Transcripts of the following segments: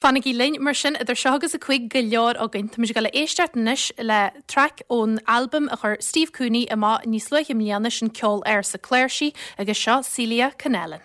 Fanaigí linn mar sin, idir seo agus a 5 go leor againn. Táimid ag dul a éisteacht anois le traic ón albam a chuir Steve Cooney amach níos luaithe i mbliana, sin Ceol Ársa Cláirsí, agus seo Celia Connellan.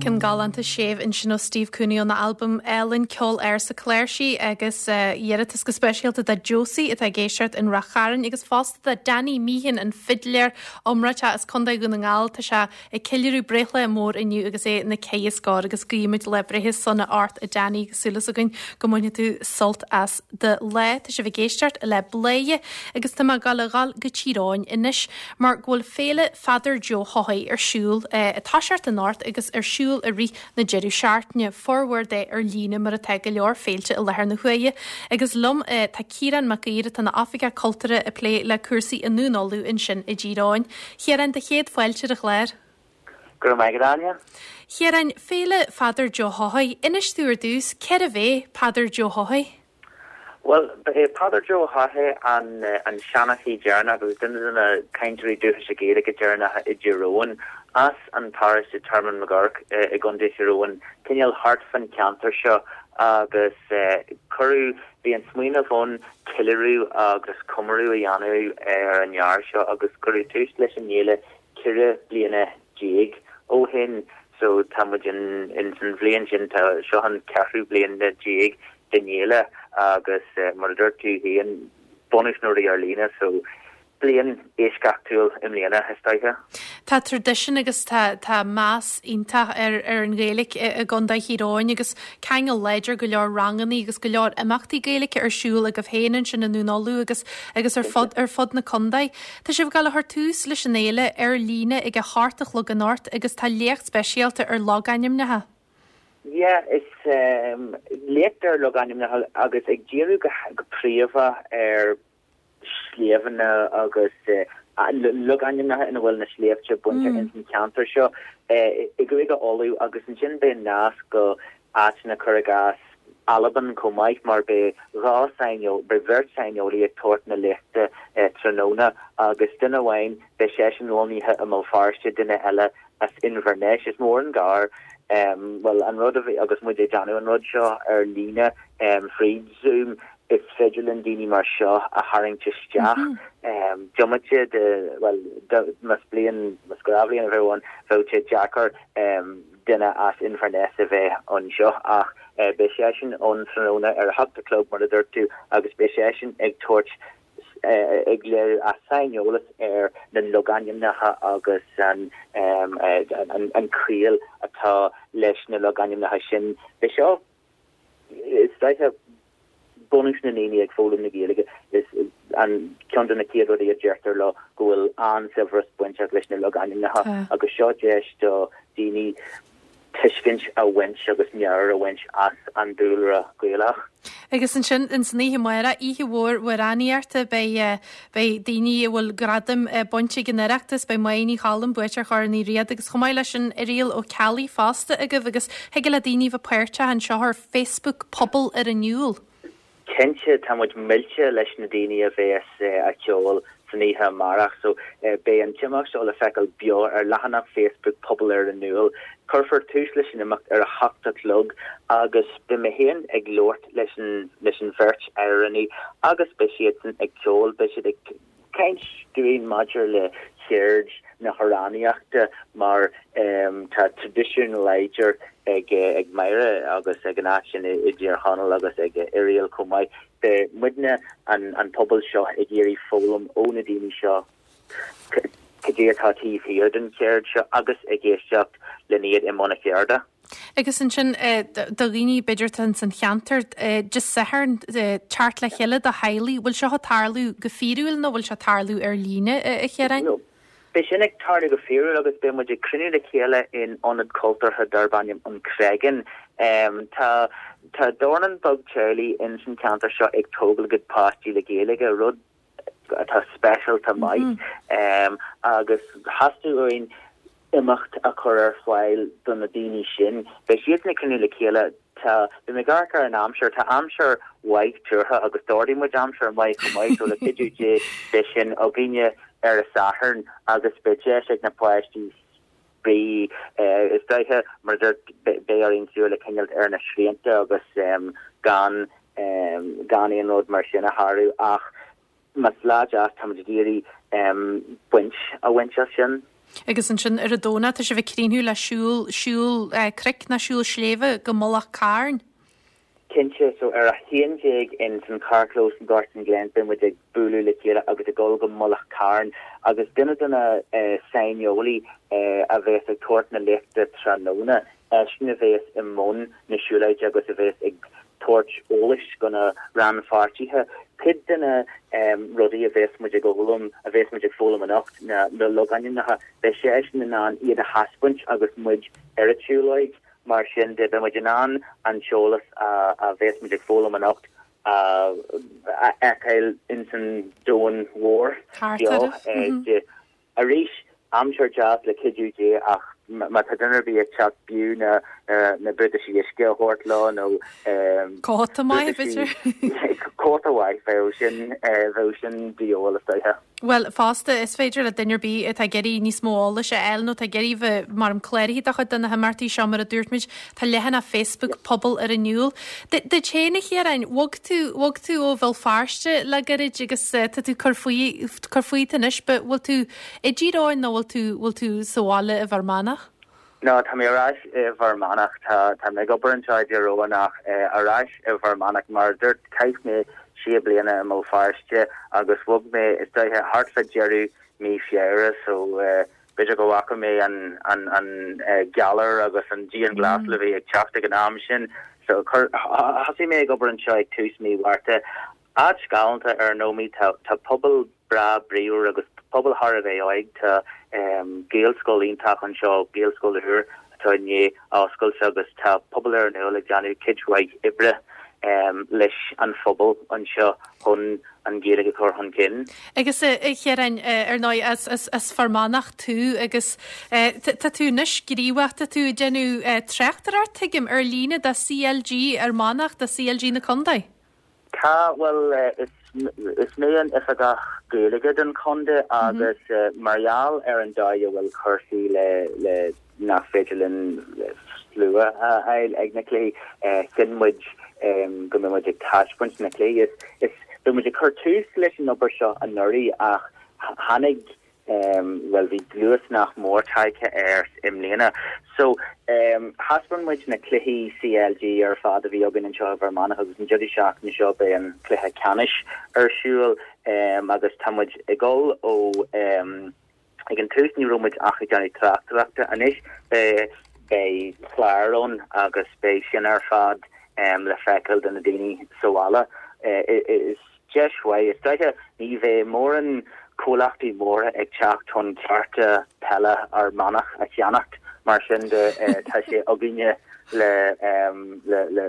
Ceann galánta séimh ansin ó Steve Cooney óna albam álainn Ceol Ársa Cláirsí agus iarratas go speisialta do Josie atá ag éisteacht in Rath Chairn agus fosta do Danny Meehan an fidléir iomráiteach as Contae Dhún na nGall. Tá sé ag ceiliúradh breithlá mór inniu agus é ina cheithre scór agus guímid lá breithe sona ort a Danny agus súil againn go mbainfidh tú sult as do lá. Tá sibh ag éisteacht le Bladhaire agus tá mé ag dul a dhul go Tír Eoghain anois mar go bhfuil Féile Pheadair Joe Haughey ar siúl ag toiseacht anocht agus ar siúl i rith na deireadh seachtaine, formhór de ar líne mar atá go leor féilte i láthair na huaire. Agus liom tá Ciarán Mac Uidhir atá ina Oifigeach Cultúrtha ag plé le cúrsaí i nDún Uladh ansin i dTír Eoghain. Chiaráin, do chéad fáilte ar an chlár. Go raibh maith agat, Áine. Chiaráin, Féile Pheadair Joe Haughey, inis domh ar dtús, cérbh é Peadar Joe Haughey? Bhuel, ba é Peadar Joe Haughey an an seanchaí deireanach agus duine de na cainteoirí dúchais Gaeilge deireanacha i dTír Eoghain, as an bparóiste Tearmann Mag Oirc i gContae Thír Eoghain, cineál thart fán cheantar seo. Agus cuireadh, bhí an smaoineamh ann ceiliúradh agus comóradh a dhéanamh ar an fhear seo agus cuireadh tús leis an fhéile 14 bliana ó shin. So tá muid in san bhliain sin, tá seo an ceathrú bliain déag den fhéile agus mar a dúirt tú féin, bunús na rudaí ar líne so bliain eisceachtúil i mbliana, is dóiche. Tá traidisiún agus tá tá meas iontach ar ar an Ghaeilge i i gContae Thír Eoghain agus ceangal láidir go leor rangannaí agus go leor imeachtaí Gaeilge ar siúl agaibh féin ansin i nDún Uladh agus agus ar fud ar fud na contae. Tá sibh ag dul a chur tús leis an fhéile ar líne ag a hocht a chlog anocht agus tá léacht speisialta ar logainmneacha. Yeah, is léacht ar logainmneacha agus ag díriú go príomha ar sléibheanna agus logainmneacha ina bhfuil na sléibhte bainteach ins an cheantar seo i gCúige Uladh agus ansin beidh nasc go áiteanna cuir i gcás Albain chomh maith mar beidh dhá saineol, beidh bheirt saineolaí ag tabhairt na léachta tráthnóna agus duine amháin beidh seisean lonnaithe i mBéal Feirste, duine eile as Inbhir Ness. Is mór an gar, bhuel, an rud a bhí, agus muid ag déanamh an rud seo ar líne fríd Zoom, is féidir linn daoine mar seo a tharraingt isteach. Diomaite de, bhuel, más bliain, más gnáthbhliain a bheadh ann, bheadh sé deacair duine as Inbhir Ness a bheith anseo ach beidh seisean ann tráthnóna ar a hocht a chlog, mar a dúirt tú, agus beidh seisean ag tabhairt ag léiriú a saineolas ar na logainmneacha agus an an ciall atá leis na logainmneacha sin. Beidh seo, is dóiche, bunús na ndaoine ag foghlaim na Gaeilge, is an ceann de na chéad rudaí a deirtear leo go bhfuil an-saibhreas bainteach leis na logainmneacha agus seo deis do daoine tuiscint a bhaint agus meabhair a bhaint as an dúlra Gaelach. Agus ansin ins an oíche amárach, oíche mhór amhránaíochta, beidh beidh daoine a bhfuil gradaim bainte ag an Oireachtas, beidh Máire Ní Choilm, buaiteoir Chorn Uí Riada agus chomh maith leis sin Irial Ó Ceallaigh fosta agaibh agus thig le daoine bheith páirteach anseo ar Facebook Pobal ar an Iúl. Cinnte, tá muid millte leis na daoine a bhéas a' ceol san oíche amárach so beidh an t-imeacht seo le feiceáil beo ar leathanach Facebook Pobal ar an Iúl. Cuirfear tús leis an imeacht ar a hocht a chlog agus beidh mé féin ag labhairt leis an leis an bheirt amhránaí agus beidh siadsan ag ceol, beidh siad ag caint dúinn maidir le ceird na hamhránaíochta mar tá traidisiún láidir ag Máire agus ag an áit sin i dTír Chonaill agus ag Irial chomh maith. Beidh muidne, an pobal seo, ag iarraidh foghlaim ó na daoine seo cad é atá taobh thiar den cheird seo agus ag éisteacht lena iad i mbun a cheirde. Agus ansin do dhaoine b'fhéidir atá ins an cheantar, Dé Sathairn, teacht le chéile do theaghlaigh, bhfuil seo ag tarlú go fíorúil nó bhfuil sé ag tarlú ar líne, a Chiaráin? Beidh sin ag tarlú go fíorúil agus beidh muid ag cruinniú le chéile in ionad cultúrtha darb ainm An Creagán. Tá tá dornán beag teaghlaigh ins an cheantar seo ag tógáil a gcuid páistí le Gaeilge, rud atá speisialta maith agus theastaigh uainn imeacht a chur ar fáil do na daoine sin. Beidh siadsan ag cruinniú le chéile. Tá, beidh mé ag amharc ar an aimsir, tá aimsir mhaith tuartha agus d'ordaigh muid aimsir mhaith chomh maith so le cuidiú Dé beidh sin againne ar an Satharn agus beidh deis ag na páistí spraoi. Is dóiche, mar a dúirt, beidh orainn súil a choinneáilt ar na srianta agus gan gan aon rud mar sin a shárú ach más lá deas táimid ag iarraidh baint a bhaint as sin. Agus ansin ar an Domhnach tá sibh ag críochnú le siúl, siúl cnoic nó siúl sléibhe go Mullach Cairn. Cinnte, so ar a 11 in san carrchlós in Gortin Glen beidh muid ag bualadh le chéile agus ag dul go Mullach Cairn agus duine de na saineolaí a bheas ag tabhairt na léachta tráthnóna, eisean a bheas i mbun na siúlóide agus a bheas ag tabhairt eolais go na rannpháirtithe. Cuid de na rudaí a bheas muid ag fhoghlaim, a bheas muid ag foghlaim anocht ná na logainmneacha, beidh seisean in ann iad a thaispeáint agus muid ar an tsiúlóid. Mar sin de, beidh muid in ann an t-eolas a bheas muid ag foghlaim anocht a fheiceáil ins an domhan mhór beo. Arís, aimsir deas le cuidiú Dé ach. Má tá duine ar bith ag teacht b'fhiú na na buataisí uisce a thabhairt leo nó Cóta maith, b'fhéidir? Cóta mhaith, bheadh sin bheadh sin de dhíobháil is dóiche. Bhuel, fosta, is féidir le duine ar bith atá ag iarraidh níos mó eolais a fháil nó atá ag iarraidh bheith mar cláraithe do chuid de na himeachtaí seo, mar a dúirt muid, tá leathanach Facebook Pobal ar an Iúl. Duit féin, a Chiaráin, bhog tú, bhog tú ó Bhéal Feirste le gairid agus tá tú cur faoi, cur fút anois, but bhfuil tú I dTír Eoghain nó bhfuil tú, bhfuil tú sa bhaile i bhFear Manach? No, tá mé ar ais i bhFear Manach. Tá, tá mé ag obair anseo i dTír Eoghain ach ar ais i bhFear Manach. Mar a dúirt, chaith mé sé bliana i mBéal Feirste agus bhog mé, is dóiche, thart fá deireadh mí Feabhra so b'fhéidir go bhfaca mé an, an, an galar agus an dianghlasáil a bhí ag teacht ag an am sin. So chuir, thosaigh mé ag obair anseo ag tús mí Mhárta. Áit ghalánta ar ndóigh, tá, tá pobal breá bríomhar agus pobal thar a bheith óig. Tá Gaelscoil iontach anseo, Gaelscoil úr atá i ndiaidh oscailt agus tá Pobal ar an Iúl ag déanamh cuid mhaith oibre leis an phobal anseo chun an Ghaeilge a chur chun cinn. Agus a Chiaráin, ar ndóigh, as Fear Manach tú agus tá tú anois gníomhach, tá tú ag déanamh tráchtaireacht, tuigim, ar líne do CLG Fhear Manach, do CLG na Contae. Tá, bhuel, is mé an Oifigeach Gaeilge don chontae agus mar gheall ar an dóigh a bhfuil cúrsaí le, le nach féidir linn slua a fháil ag na cluichí, chinn muid go mbeidh muid ag taispeáint na cluichí. Is, beidh muid ag cur tús leis an obair seo anuraidh ach tháinig bhuel bhí luasnach mór tagtha air i mbliana. So, thaispeáin muid na cluichí CLG ar fad a bhí againn anseo i bhFear Manach agus an deireadh seachtaine seo beidh an cluiche ceannais ar siúl agus tá muid ag dul ó ag an tús ní raibh muid ach ag déanamh tráchtaireachta anois beidh beidh clár ann agus beidh sin ar fad le feiceáil do na daoine sa bhaile. Is Deis mhaith. Is dóiche ní bheidh mórán comhlachtaí móra ag teacht chun cearta peile Fhear Manach a cheannacht, mar sin de tá sé againne le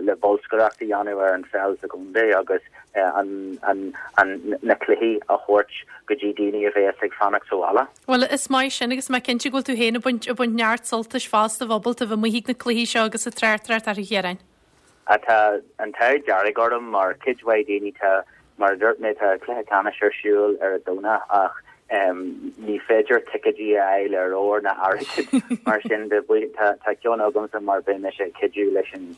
le bolscaireacht a dhéanamh ar an pheil sa gcontae agus an an na cluichí a thabhairt go dtí daoine a bheas ag fanacht sa bhaile. Bhuel, is maith sin agus mé cinnte go bhfuil tú féin ag baint ag baint neart sultais fosta bheith ábalta bheith amuigh ag na cluichí seo agus ag tráchtaireacht orthu, a Chiaráin. Tá an t-ádh dearg orm mar cuid mhaith daoine tá, mar a dúirt mé, tá cluiche ceannais ar siúl ar an Domhnach ach ní féidir ticéidí a fháil ar ór ná airgead mar sin de. Tá ceann agamsa mar beidh mise ag cuidiú leis an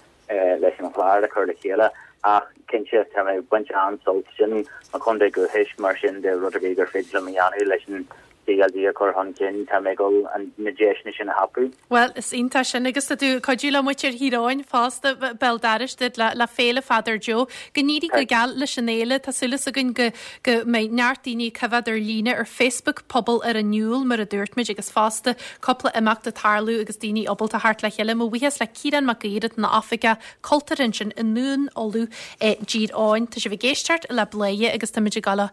leis an chlár a chur le chéile ach cinnte tá mé ag baint an-sult sin mo chontae dúchais mar sin de rud ar bith gur féidir liom a dhéanamh leis an CLG a chur chun cinn, tá mé ag dul na deiseanna sin a thapú. Bhuel, is iontach sin agus tá tú ag cuidiú le muintir Thír Eoghain fosta, béal dorais duit le le Féile Pheadair Joe. Go n-éirí go geal leis an fhéile. Tá súil againn go go mbeidh neart daoine ag coimhéad ar líne ar Facebook Pobal ar an Iúl mar a dúirt muid agus fosta cúpla imeacht ag tarlú agus daoine ábalta theacht le chéile. Mo bhuíochas le Ciarán Mac Uidhir atá ina oifigeach cultúrtha ansin i nDún Uladh i dTír Eoghain. Tá sibh ag éisteacht le Bladhaire agus táimid ag dul a.